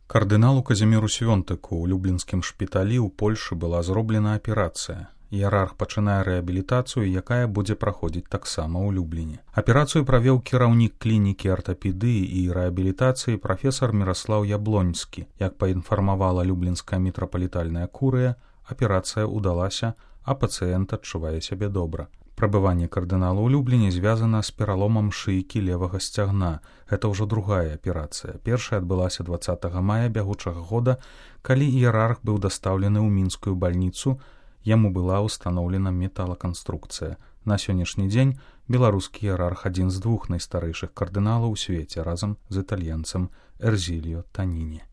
Кардыналу Казіміру Свёнтыку ў люблінскім шпіталі ў Польшы была зроблена аперацыя. Іерарх пачынае рэабілітацыю, якая будзе праходзіць таксама ў Любліне. Аперацыю правёў кіраўнік клінікі артапедыі і рэабілітацыі прафесар Міраслаў Яблоньскі. Як паінфармавала люблінская мітрапалітальная курыя, аперацыя ўдалася, а пацыент адчувае сябе добра. Прабыванне кардынала ў Любліне звязана з пераломам шыйкі левага сцягна. Гэта ўжо другая аперацыя. Першая адбылася 20 мая бягучага года, калі іерарх быў дастаўлены ў мінскую бальніцу, яму была ўстаноўлена металаканструкцыя. На сённяшні дзень беларускі іерарх адзін з двух найстарэйшых кардыналаў у свеце разам з італьянцам Эрзіліо Таніні.